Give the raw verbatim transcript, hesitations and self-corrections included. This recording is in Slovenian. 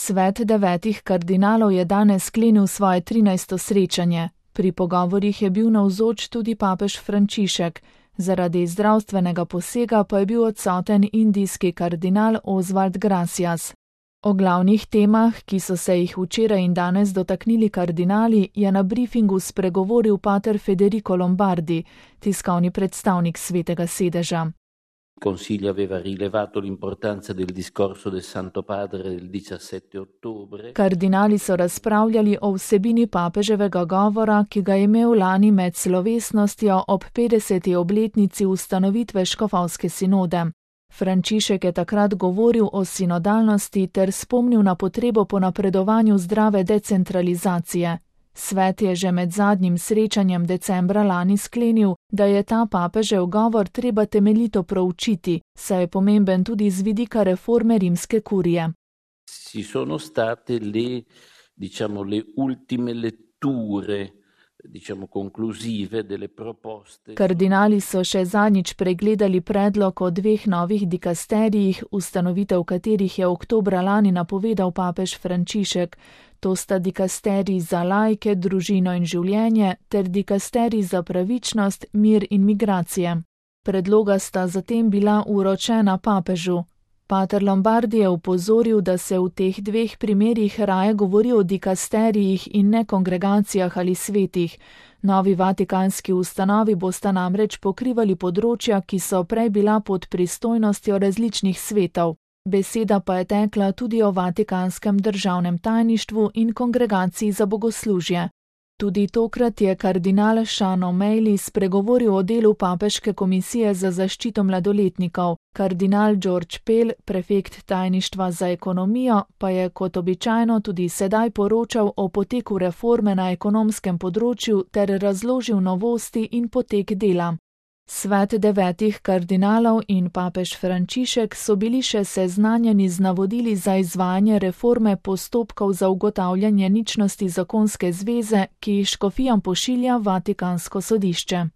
Svet devetih kardinalov je danes sklenil svoje trinajsto srečanje. Pri pogovorih je bil navzoč tudi papež Frančišek. Zaradi zdravstvenega posega pa je bil odsoten indijski kardinal Oswald Gracias. O glavnih temah, ki so se jih včeraj in danes dotaknili kardinali, je na briefingu spregovoril pater Federico Lombardi, tiskovni predstavnik Svetega sedeža. Consiglio aveva rilevato l'importanza del discorso del Santo Padre del diciassette ottobre. Kardinali so razpravljali o vsebini papeževega govora, ki ga je imel lani med slovesnostjo ob petdeseti obletnici ustanovitve škofovske sinode. Frančišek je takrat govoril o sinodalnosti ter spomnil na potrebo po napredovanju zdrave decentralizacije. Svet je že med zadnjim srečanjem decembra lani sklenil, da je ta papežev govor treba temeljito proučiti, saj je pomemben tudi z vidika reforme rimske kurije. Ci sono state le, diciamo, le ultime letture, diciamo, conclusive delle proposte. Kardinali so še zadnjič pregledali predlog o dveh novih dikasterijih, ustanovitev katerih je oktobra lani napovedal papež Frančišek. To sta dikasterij za laike, družino in življenje ter dikasterij za pravičnost, mir in migracije. Predloga sta zatem bila uročena papežu. Pater Lombardi je opozoril, da se v teh dveh primerih raje govori o dikasterijih in ne kongregacijah ali svetih. Novi vatikanski ustanovi bosta namreč pokrivali področja, ki so prej bila pod pristojnostjo različnih svetov. Beseda pa je tekla tudi o Vatikanskem državnem tajništvu in kongregaciji za bogoslužje. Tudi tokrat je kardinal Sean O'Malley spregovoril o delu papeške komisije za zaščito mladoletnikov. Kardinal George Pell, prefekt tajništva za ekonomijo, pa je kot običajno tudi sedaj poročal o poteku reforme na ekonomskem področju ter razložil novosti in potek dela. Svet devetih kardinalov in papež Frančišek so bili še seznanjeni z navodili za izvajanje reforme postopkov za ugotavljanje ničnosti zakonske zveze, ki jih škofijam pošilja Vatikansko sodišče.